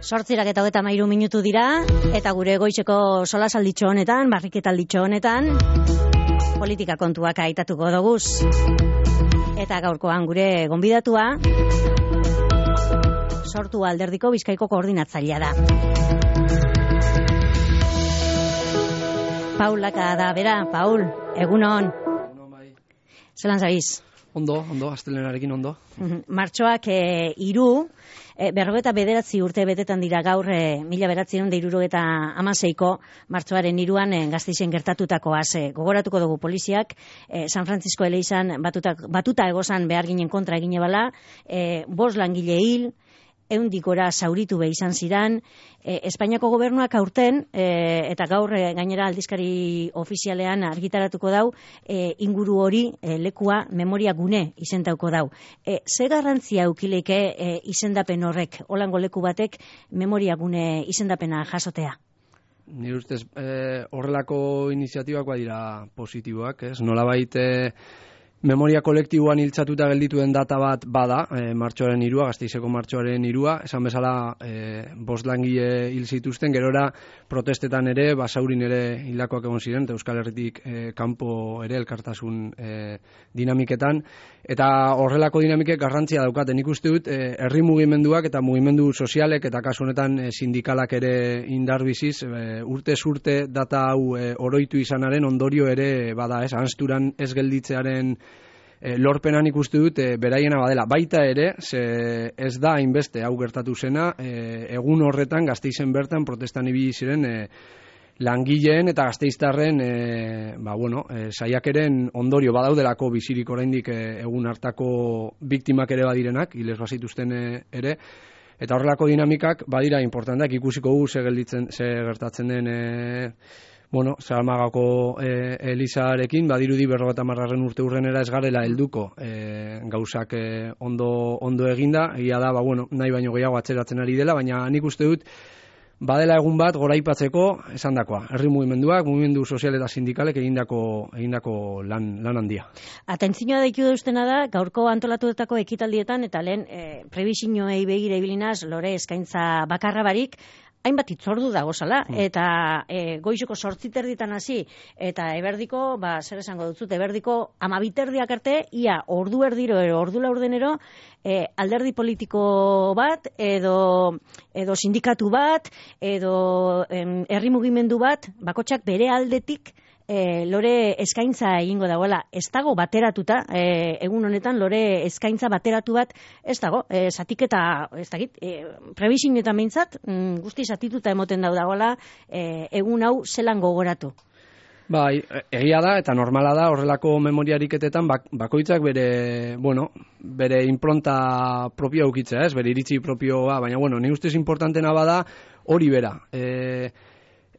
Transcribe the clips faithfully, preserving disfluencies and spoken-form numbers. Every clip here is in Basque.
Sortzirak eta hogeita hamairu minutu dira, eta gure goizeko solasalditxo honetan, barriketalditxo honetan, politika kontuak aitatuko doguz. Eta gaurkoan gure gonbidatua, Sortu Alderdiko Bizkaiko koordinatzailea da. Paulaka da, bera, Paul, egunon. Zelan zabiz? Ondo, ondo, astelenarekin ondo. Martxoak e, iru, e, berrogeta bederatzi urte betetan dira gaur, e, mila beratzen da irurogeta amaseiko, martxoaren iruan e, Gasteizen gertatutakoaz. E, gogoratuko dugu poliziak, e, San Francisco eleizan batuta, batuta egozan behar ginen kontra egine bala, e, bost langile hil, eundikora zauritu be izan ziran, e, Espainiako gobernuak aurten, e, eta gaur e, gainera aldizkari ofizialean argitaratuko dau, e, inguru hori e, lekua memoria gune izendauko dau. E, ze garrantzia eukileke e, izendapen horrek, holango leku batek memoria gune izendapena jasotea? Nire ustez, e, horrelako iniziatibak badira positiboak, ez? Nolabait e, memoria kolektiboan hiltzatuta geldituen data bat bada, e, martxoaren irua, Gasteizeko martxoaren irua, esan bezala e, bost langile hil zituzten, gerora protestetan ere, basaurin ere hildakoak egon ziren, eta Euskal Herritik e, kanpo ere elkartasun e, dinamiketan, eta horrelako dinamikek garrantzia daukaten. Nik uste dut, e, herri mugimenduak eta mugimendu sozialek, eta kasu honetan e, sindikalak ere indarbiziz, e, urtez urte data hau e, oroitu izanaren ondorio ere bada, ez, hansturan ez gelditzearen E, lorpenan ikuste dut e, beraiena badela. Baita ere, ze ez da hainbeste hau gertatu zena, e, egun horretan Gasteizen bertan protestan ibili ziren e, langileen eta gasteiztarren e, ba, bueno, e, saiakeren ondorio badaudelako bizirik oraindik e, egun hartako biktimak ere badirenak, hilez bazituzten e, ere, eta horrelako dinamikak badira importanteak, ikusiko gu ze gelditzen, ze gertatzen den e, Bueno, Zalamagako e, Elizarekin, badirudi berrogeta marraren urte urrenera ez garela helduko e, gauzak e, ondo, ondo eginda, egia da, ba, bueno, nahi baino gehiago atzeratzen ari dela, baina nik uste dut, badela egun bat goraipatzeko esandakoa, herri mugimenduak, mugimendu sozial eta sindikalek egindako, egindako lan, lan handia. Atentzioa deitu deustena da, gaurko antolatutako ekitaldietan, eta lehen e, prebizinoei begira ibilinaz, lore eskaintza bakarra barik, hainbat itzordu dagozala, eta e, goizeko sortziterditan hasi, eta eberdiko, ba, zer esango dutzut, eberdiko amabiterdiak arte, ia ordu erdiro, ordu laurdenero, e, alderdi politiko bat, edo, edo sindikatu bat, edo em, herri mugimendu bat, bakotxak bere aldetik, E, lore eskaintza egingo dagoela, ez dago bateratuta, e, egun honetan lore eskaintza bateratu bat ez dago, e, zatiketa, ez dakit, e, prebizioetan behintzat, mm, guzti zatituta emoten dau dagoela, e, egun hau zelan gogoratu. Bai, egia da eta normala da horrelako memoriariketetan bak, bakoitzak bere, bueno, bere impronta propioa ukitzea, ez, bere iritzi propioa, baina bueno, ni ustez importantena bada hori bera. E,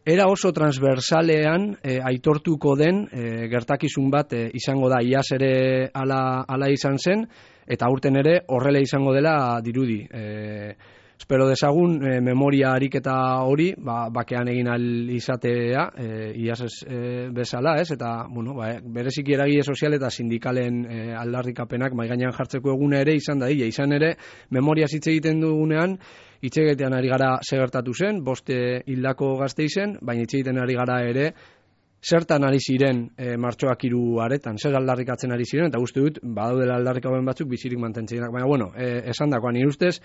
Era oso transversalean e, aitortuko den e, gertakizun bat e, izango da, iaz ere ala, ala izan zen, eta aurten ere horrela izango dela dirudi. E, espero dezagun e, memoria ariketa hori, ba, bakean egin al izatea, e, iaz ez e, bezala, ez? Eta, bueno, ba, bereziki eragile sozial eta sindikalen e, aldarrikapenak mai gainean jartzeko eguna ere izan da, ia, izan ere, memoria hitz egiten dugunean, itxegetean ari gara segertatu zen, boste hildako Gasteizen, baina itxegiten ari gara ere, zertan ari ziren e, martxoak hiru aretan, zer aldarrikatzen ari ziren, eta uste dut, badaudela aldarrikapen batzuk bizirik mantentzenak. Baina, bueno, e, esan dakoan, nire ustez,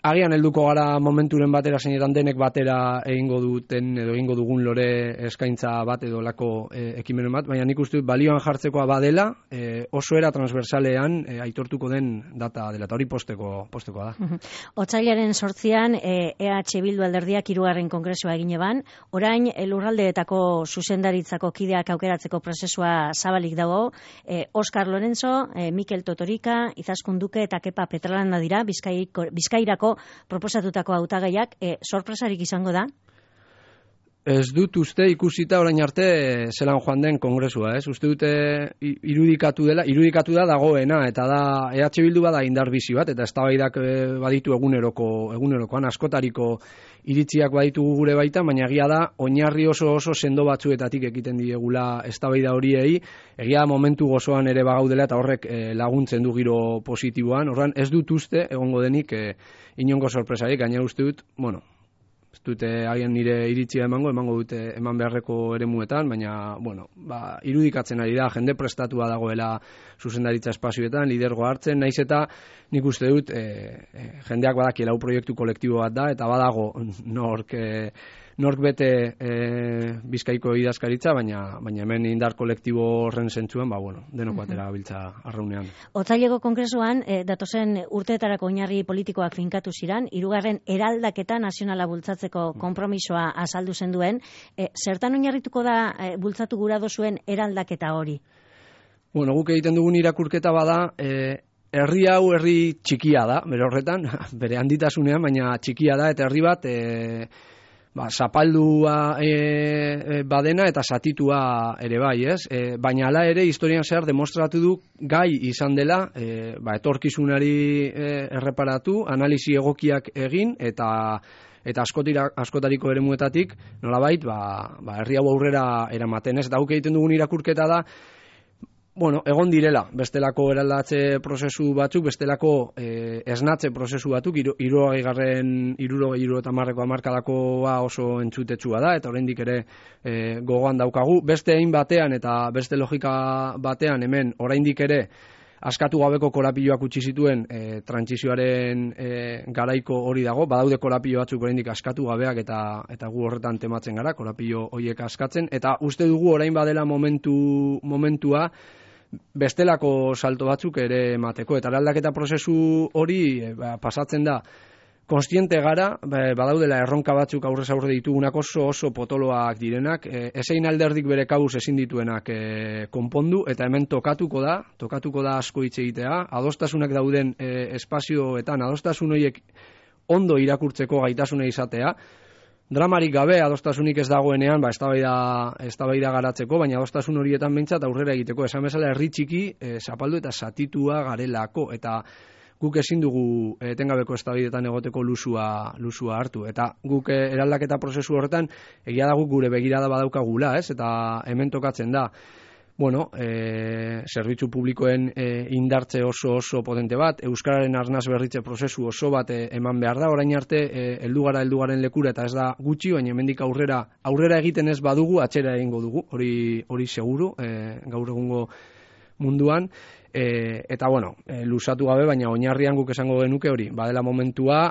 agian helduko gara momenturen batera, zeinetan denek batera egingo duten, edo egingo dugun lore eskaintza bat edo lako e, ekimenen bat, baina nik uste dut balioan jartzekoa badela, e, oso era transversalean e, aitortuko den data dela, eta hori posteko, postekoa da. Otsailaren sortzian, e, EH Bildu alderdiak hirugarren kongresua egin eban, orain lurraldeetako zuzendaritzako kideak aukeratzeko prozesua zabalik dago, e, Oskar Lorenzo, e, Mikel Totorika, Izaskun Duke eta Kepa Petralanda dira, Bizkaiko, Bizkairako proposatutako hautagaiak, e, sorpresarik izango da? Ez dut uste ikusita orain arte zelan joan den kongresua, ez? Uste dute irudikatu dela, irudikatu da dagoena, eta da E H Bildu bada indar bizi bat, eta eztabaidak baditu eguneroko, egunerokoan askotariko iritziak baditugu gure baita, baina egia da oinarri oso oso sendo batzuetatik ekiten diegula eztabaida horiei, egia da momentu gozoan ere bagaudela eta horrek eh, laguntzen du giro positiboan. Orduan ez dut uste egongo denik eh, inongo sorpresarik, gainera uste dut, bueno, ez dute haien nire iritzia emango, emango dute eman beharreko eremuetan, baina, bueno, ba, irudikatzen ari da, jende prestatua dagoela zuzendaritza espazioetan, lidergoa hartzen, naiz eta nik uste dut e, e, jendeak badakiela hau proiektu kolektibo bat da, eta badago nork, e, nork bete e, Bizkaiko idazkaritza, baina, baina hemen indar kolektibo horren zentzuan, ba, bueno, denok batera gabiltza arraunean. Otsaileko kongresuan, e, datozen urteetarako oinarri politikoak finkatu ziran, hirugarren eraldaketa nazionala bultzatzeko konpromisoa azaldu zen duen, e, zertan oinarrituko da e, bultzatu gura dozuen eraldaketa hori? Bueno, guk egiten dugun irakurketa bada, e, herri hau herri txikia da, bere horretan, bere handitasunean, baina txikia da, eta herri bat, e, ba, zapaldua e, e, badena eta satitua ere bai, ez? E, baina hala ere, historian zehar demostratu du gai izan dela, e, ba, etorkizunari e, erreparatu, analisi egokiak egin, eta eta askotira, askotariko eremuetatik, nolabait, ba, ba, herri hau aurrera eramaten, ez? Eta guk egiten dugun irakurketa da, bueno, egon direla, bestelako eraldatze prozesu batzuk, bestelako eh, esnatze prozesu batzuk, hirurogei garren, hirurogei hirurogeita hamarreko hamarkadakoa oso entzutetsua da, eta oraindik ere eh, gogoan daukagu. Beste egin batean eta beste logika batean hemen oraindik ere askatu gabeko korapioak utzi zituen e, trantsizioaren e, garaiko hori dago, badaude korapio batzuk oraindik askatu gabeak eta eta gu horretan tematzen gara, korapio horiek askatzen, eta uste dugu orain badela momentu momentua bestelako salto batzuk ere emateko, eta eraldaketa prozesu hori e, ba, pasatzen da konstiente gara, badaudela erronka batzuk aurrez aurre ditugunak oso oso potoloak direnak, e, ezein alderdik bere kabuz ezin dituenak e, konpondu, eta hemen tokatuko da, tokatuko da asko hitz egitea, adostasunak dauden e, espazioetan, adostasun horiek ondo irakurtzeko gaitasuna izatea, dramarik gabe adostasunik ez dagoenean, ba, eztabaida, eztabaida garatzeko, baina adostasun horietan behintzat aurrera egiteko, esan bezala herri txiki, e, zapaldu eta satitua garelako, eta guk ezin dugu etengabeko eztabaidetan egoteko lusua, lusua hartu. Eta guk eraldaketa prozesu horretan egia da guk gure begirada badaukagula, ez? Eta hemen tokatzen da, bueno, e, zerbitzu publikoen e, indartze oso oso potente bat, euskararen arnaz berritze prozesu oso bat e, eman behar da, orain arte e, heldu gara heldugaren lekura eta ez da gutxi, baina hemendik aurrera aurrera egiten ez badugu, atzera egingo dugu, hori hori seguru, e, gaur egungo munduan. E, eta bueno, e, lusatu gabe, baina oinarrian guk esango genuke hori, badela momentua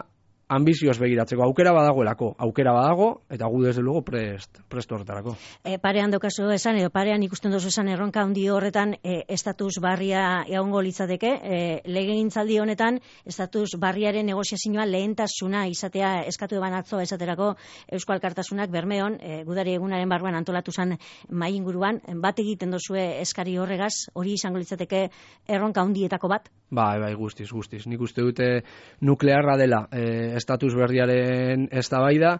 ambizioz begiratzeko, aukera badagoelako, aukera badago, eta gu desde luego prest, prest horretarako. E, parean daukazu esan, edo parean ikusten dozu esan erronka handi horretan, e, estatus barria egongo litzateke, e, legegintzaldi honetan, estatus barriaren negoziazioa lehentasuna izatea eskatu eban atzo esaterako Eusko Alkartasunak Bermeon, e, gudari egunaren barruan antolatu zen mai inguruan, bat egiten dozue eskari horregaz, hori izango litzateke erronka handietako bat? Bai, bai, guztiz, guztiz. Nik uste dute nuklearra dela e, estatus berriaren eztabaida.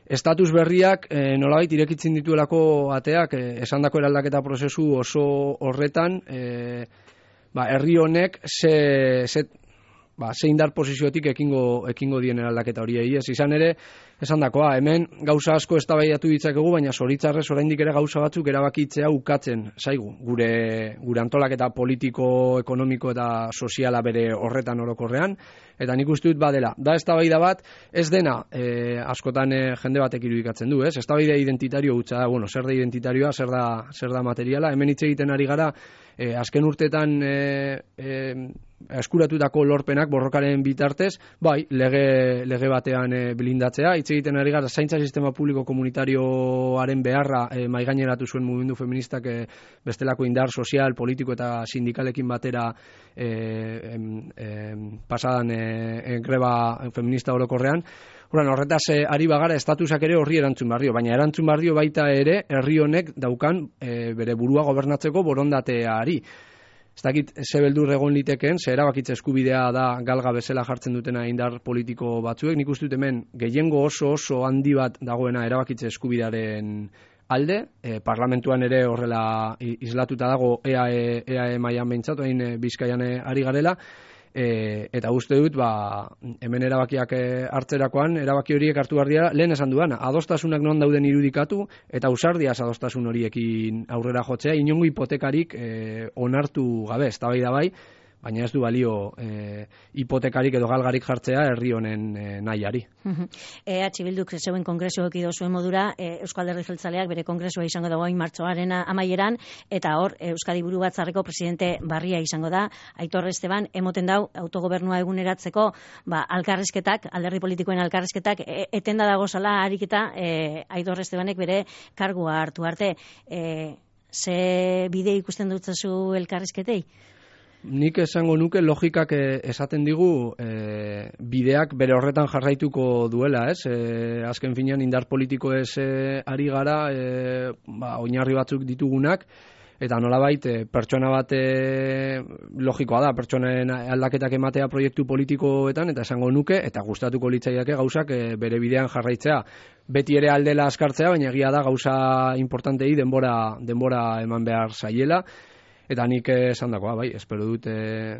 Estatus berriak e, nolabait irekitzen dituelako ateak, e, esandako eraldaketa prozesu oso horretan, e, ba, herri honek ze, ze, ba, ze indar posiziotik ekingo, ekingo dien eraldaketa horiei. Ez izan ere, esandakoa, hemen gauza asko eztabaidatu ditzakegu, baina zoritzarrez oraindik ere gauza batzuk erabakitzea ukatzen zaigu. Gure, gure antolaketa politiko, ekonomiko eta soziala bere horretan orokorrean, eta nik uste dut badela. Da eztabaida bat, ez dena e, askotan e, jende batek irudikatzen du, ez? Eztabaida identitario hutsa da, bueno, zer da identitarioa, zer da, zer da materiala, hemen hitz egiten ari gara, e, azken urteetan e, e, eskuratutako lorpenak borrokaren bitartez, bai, lege, lege batean e, blindatzea, hitz egiten ari gara zaintza sistema publiko komunitarioaren beharra e, maigaineratu zuen mugimendu feministak e, bestelako indar sozial, politiko eta sindikalekin batera e, em, em, pasadan e, e, greba feminista orokorrean. Horan, horretaz e, ari bagara estatusak ere horri erantzun barrio, baina erantzun barrio baita ere herri honek daukan e, bere burua gobernatzeko borondateari. ez dakit ze beldur egon litekeen, ze erabakitze eskubidea da galga bezala jartzen dutena indar politiko batzuek, nik uste dut hemen gehiengo oso oso handi bat dagoena erabakitze eskubidearen alde, e, parlamentuan ere horrela islatuta dago E A E, E A E mailan behintzat, hain Bizkaian ari garela, e, eta uste dut, ba, hemen erabakiak hartzerakoan, erabaki horiek hartu behar dira, lehen esan duana, adostasunak non dauden irudikatu, eta ausardiaz adostasun horiekin aurrera jotzea, inongo hipotekarik e, onartu gabe, ez da bai da bai, baina ez du balio e, hipotekarik edo galgarik jartzea herri honen e, nahiari. E H Bilduk zeuen kongresua ekido zuen modura, e, Euskal Alderdi Jeltzaleak bere kongresua izango dago hain martxoaren amaieran, eta hor Euskadi Buru Batzarreko presidente barria izango da, Aitor Esteban, emoten dau autogobernua eguneratzeko, ba, alkarrizketak, alderdi politikoen alkarrizketak, e, etenda dagozala ariketa e, Aitor Estebanek bere kargua hartu arte. E, ze bide ikusten dutzazu elkarrizketei? Nik esango nuke logikak esaten digu e, bideak bere horretan jarraituko duela, ez? E, azken finean indar politiko ez e, ari gara, e, ba, oinarri batzuk ditugunak, eta nolabait e, pertsona bat e, logikoa da, pertsonen aldaketak ematea proiektu politikoetan, eta esango nuke, eta gustatuko litzaiake gauzak e, bere bidean jarraitzea. Beti ere aldela askartzea, baina egia da gauza importantei denbora, denbora eman behar zaiela. Eta nik esan dakoa, bai, espero dut e,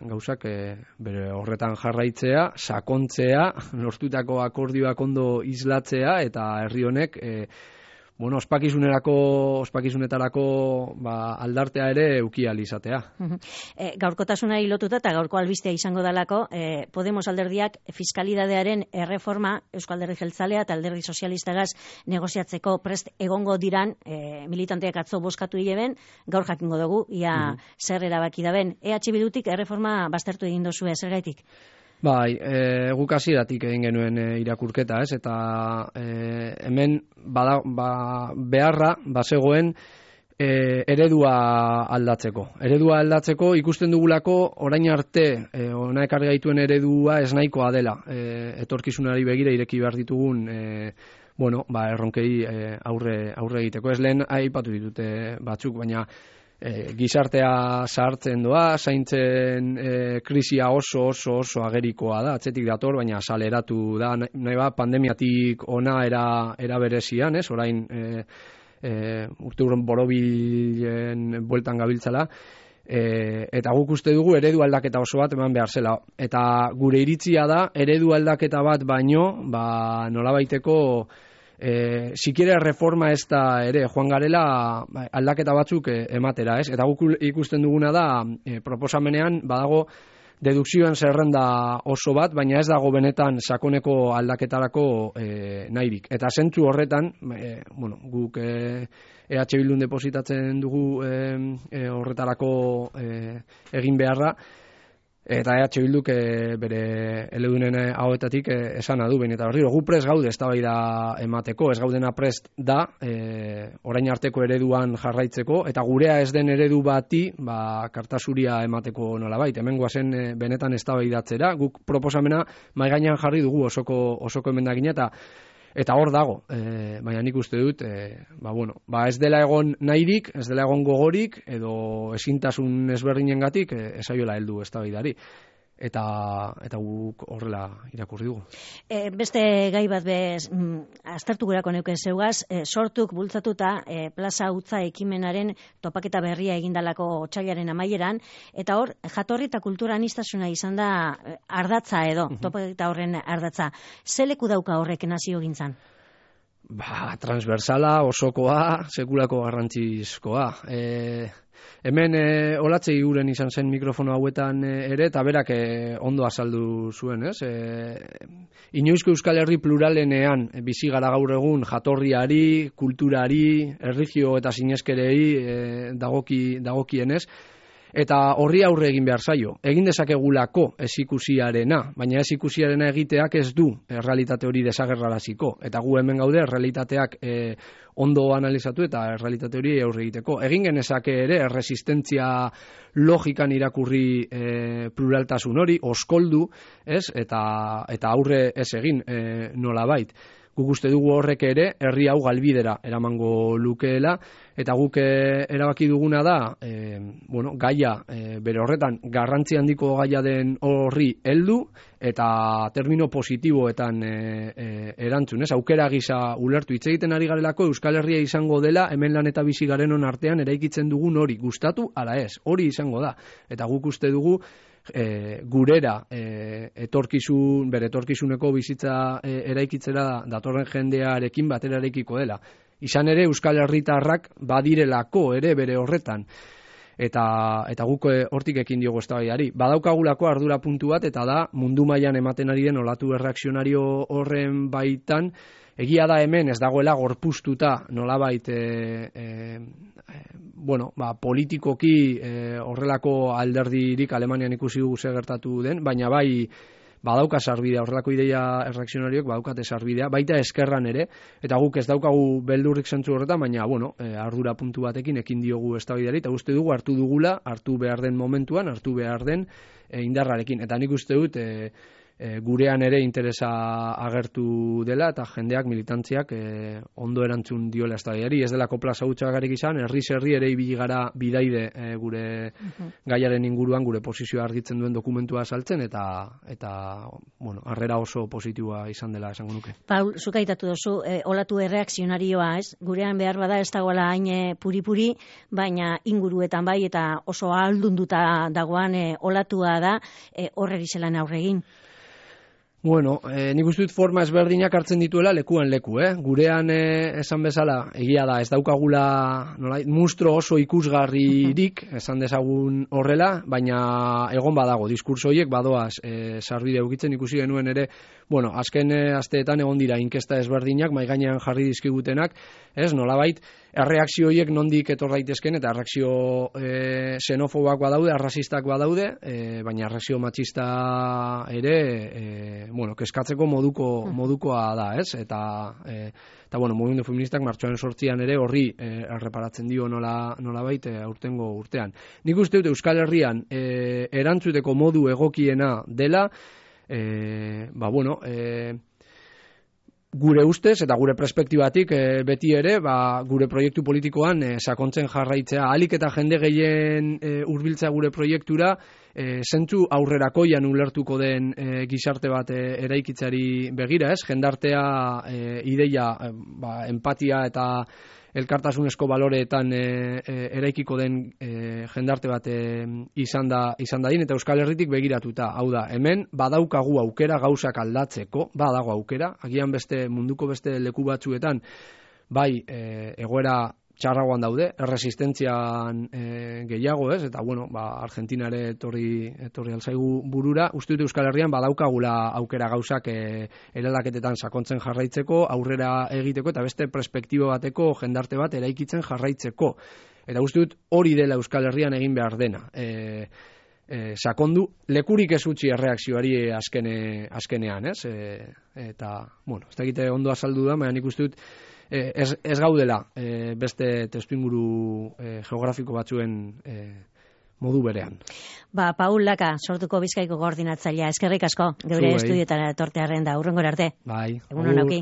gauzak e, bere horretan jarraitzea, sakontzea, lortutako akordioak ondo islatzea, eta herri honek, e, bueno, ospakizunerako, ospakizunetarako ba, aldartea ere eukial izatea. E, gaurkotasunari lotuta eta gaurko albistea izango dalako, e, Podemos alderdiak fiskalidadearen erreforma Euskal Alderdi Jeltzalea eta Alderdi Sozialistagaz negoziatzeko prest egongo diran, e, militanteak atzo bozkatu hileben, gaur jakingo dugu, ia uh -huh. zer erabaki daben. E H Bildutik erreforma baztertu egin dozue, zer gaitik? Bai, e, guk hasieratik egin genuen e, irakurketa, ez? Eta e, hemen bada, ba, beharra bazegoen e, eredua aldatzeko. Eredua aldatzeko ikusten dugulako orain arte e, ona ekarri gaituen eredua ez nahikoa dela. E, etorkizunari begira ireki behar ditugun e, bueno, ba, erronkei e, aurre, aurre egiteko. Ez lehen aipatu ditute batzuk, baina E, gizartea zahartzen doa, zaintzen e, krisia oso oso oso agerikoa da, atzetik dator, baina saleratu da, nahi ba, pandemiatik ona era, era berezian, ez, orain e, e, urte urren borobilen bueltan gabiltzala, e, eta guk uste dugu eredu aldaketa oso bat eman behar zela, eta gure iritzia da, eredu aldaketa bat baino, ba, nolabaiteko E, sikiera reforma ez da ere, joan garela aldaketa batzuk e, ematera, ez? Eta guk ikusten duguna da, e, proposamenean badago dedukzioen zerrenda oso bat, baina ez dago benetan sakoneko aldaketarako e, nahirik. Eta zentzu horretan, e, bueno, guk e, E H Bildun depositatzen dugu e, e, horretarako e, egin beharra, eta E H Bilduk e, bere eledunen hauetatik e, esana du, behin eta berriro, gu prest gaude eztabaida emateko, ez gaudena prest da, e, orain arteko ereduan jarraitzeko, eta gurea ez den eredu bati, ba, kartasuria emateko nolabait, hemen guazen e, benetan eztabaidatzera, guk proposamena maigainan jarri dugu osoko, osoko emendakina, eta Eta hor dago, e, baina nik uste dut, e, ba, bueno, ba ez dela egon nahirik, ez dela egon gogorik, edo ezintasun ezberdinengatik e, esaiola heldu eztabaidari. Eta, eta guk horrela irakurri dugu. E, beste gai bat bez, mm, aztertu gurako neuken zeugaz, e, sortuk bultzatuta e, plaza utza ekimenaren topaketa berria egindalako otsailaren amaieran, eta hor, jatorri eta kultura aniztasuna izan da ardatza edo, uh-huh. topaketa horren ardatza. Ze leku dauka horrek nazio gintzan? Ba, transversala, osokoa, sekulako garrantzizkoa. E, hemen e, olatzei guren izan zen mikrofono hauetan e, ere, eta berak e, ondo azaldu zuen, ez? E, Inoizko Euskal Herri pluralenean e, bizi gara gaur egun jatorriari, kulturari, erlijio eta sineskerei e, dagoki, dagokienez, eta horri aurre egin behar zaio. Egin dezakegulako ez ikusiarena, baina ez ikusiarena egiteak ez du errealitate hori desagerraraziko. Eta gu hemen gaude errealitateak e, ondo analizatu eta errealitate hori aurre egiteko. Egin genezake ere erresistentzia logikan irakurri e, pluraltasun hori, oskoldu, ez? Eta, eta aurre ez egin e, nolabait. guk uste dugu horrek ere herri hau galbidera eramango lukeela, eta guk e, erabaki duguna da, e, bueno, gaia e, bere horretan garrantzi handiko gaia den horri heldu eta termino positiboetan e, e, erantzun, ez? Aukera gisa ulertu hitz egiten ari garelako Euskal Herria izango dela hemen lan eta bizi garenon artean eraikitzen dugun hori, gustatu ala ez, hori izango da. Eta guk uste dugu E, gurera e, etorkizun, bere etorkizuneko bizitza e, eraikitzera datorren jendearekin batera eraikiko dela. Izan ere Euskal Herritarrak badirelako ere bere horretan. Eta, eta guk hortik ekin diogu eztabaidari. Badaukagulako ardura puntu bat, eta da mundu mailan ematen ari den olatu erreakzionario horren baitan, egia da hemen ez dagoela gorpuztuta nolabait e, e, e, bueno, ba, politikoki e, horrelako alderdirik Alemanian ikusi dugu zer gertatu den, baina bai badauka sarbidea, horrelako ideia erreakzionarioek badaukate sarbidea, baita eskerran ere, eta guk ez daukagu beldurrik zentzu horretan, baina bueno, e, ardura puntu batekin ekin diogu eztabaidari, eta uste dugu hartu dugula, hartu behar den momentuan, hartu behar den e, indarrarekin, eta nik uste dut e, E, gurean ere interesa agertu dela eta jendeak, militantziak e, ondo erantzun diola eztabaidari. Ez delako plaza hutsagarrik izan, herri herri ere ibili gara bidaide e, gure uh-huh. gaiaren inguruan gure posizioa argitzen duen dokumentua saltzen eta eta bueno, harrera oso positiboa izan dela esango nuke. Paul, zuk aitatu duzu, e, olatu erreakzionarioa, ez? Gurean behar bada ez dagoela hain puri-puri, baina inguruetan bai eta oso ahaldunduta dagoan e, olatua da e, horreri zelan aurregin. Bueno, eh, nik uste dut forma ezberdinak hartzen dituela lekuan leku, eh? Gurean eh, esan bezala, egia da, ez daukagula nola, mustro oso ikusgarririk, esan dezagun horrela, baina egon badago, diskurso horiek badoaz eh, sarbide ukitzen ikusi genuen ere, bueno, azken eh, asteetan egon dira inkesta ezberdinak, mai gainean jarri dizkigutenak, ez, nolabait, erreakzio horiek nondik etor daitezken, eta erreakzio e, xenofobak badaude, arrazistak badaude, e, baina erreakzio matxista ere, e, bueno, keskatzeko moduko, modukoa da, ez? Eta, e, eta bueno, mugimendu feministak martxoaren sortzian ere horri e, erreparatzen dio nola, nola baita aurtengo urtean. Nik uste dut Euskal Herrian e, erantzuteko modu egokiena dela, e, ba, bueno, e, gure ustez eta gure perspektibatik e, beti ere ba, gure proiektu politikoan e, sakontzen jarraitzea, ahalik eta jende gehien e, hurbiltzea gure proiektura, e, zentzu aurrerakoian ulertuko den e, gizarte bat e, eraikitzeari begira, ez? Jendartea e, ideia, e, ba, empatia eta elkartasunezko baloreetan e, e, eraikiko den e, jendarte bat e, izan da izan dadin, eta Euskal Herritik begiratuta. Hau da, hemen badaukagu aukera gauzak aldatzeko, badago aukera, agian beste munduko beste leku batzuetan, bai e, egoera txarragoan daude, erresistentzian e, gehiago, ez? Eta bueno, ba, Argentina ere etorri, etorri alzaigu burura, uste dut Euskal Herrian badaukagula aukera gauzak e, eraldaketetan sakontzen jarraitzeko, aurrera egiteko, eta beste perspektibo bateko jendarte bat eraikitzen jarraitzeko. Eta uste dut hori dela Euskal Herrian egin behar dena. E, e, sakondu, lekurik ez utzi erreakzioari azkene, azkenean, ez? E, eta, bueno, ez da egite ondo azaldu da, baina nik uste dut Ez, ez gaudela e, beste testuinguru e, geografiko batzuen e, modu berean. Ba, Paul Laka, Sortuko Bizkaiko koordinatzailea, eskerrik asko, geure estudioetara etortearren da, hurrengora arte. Bai. Egun on auki.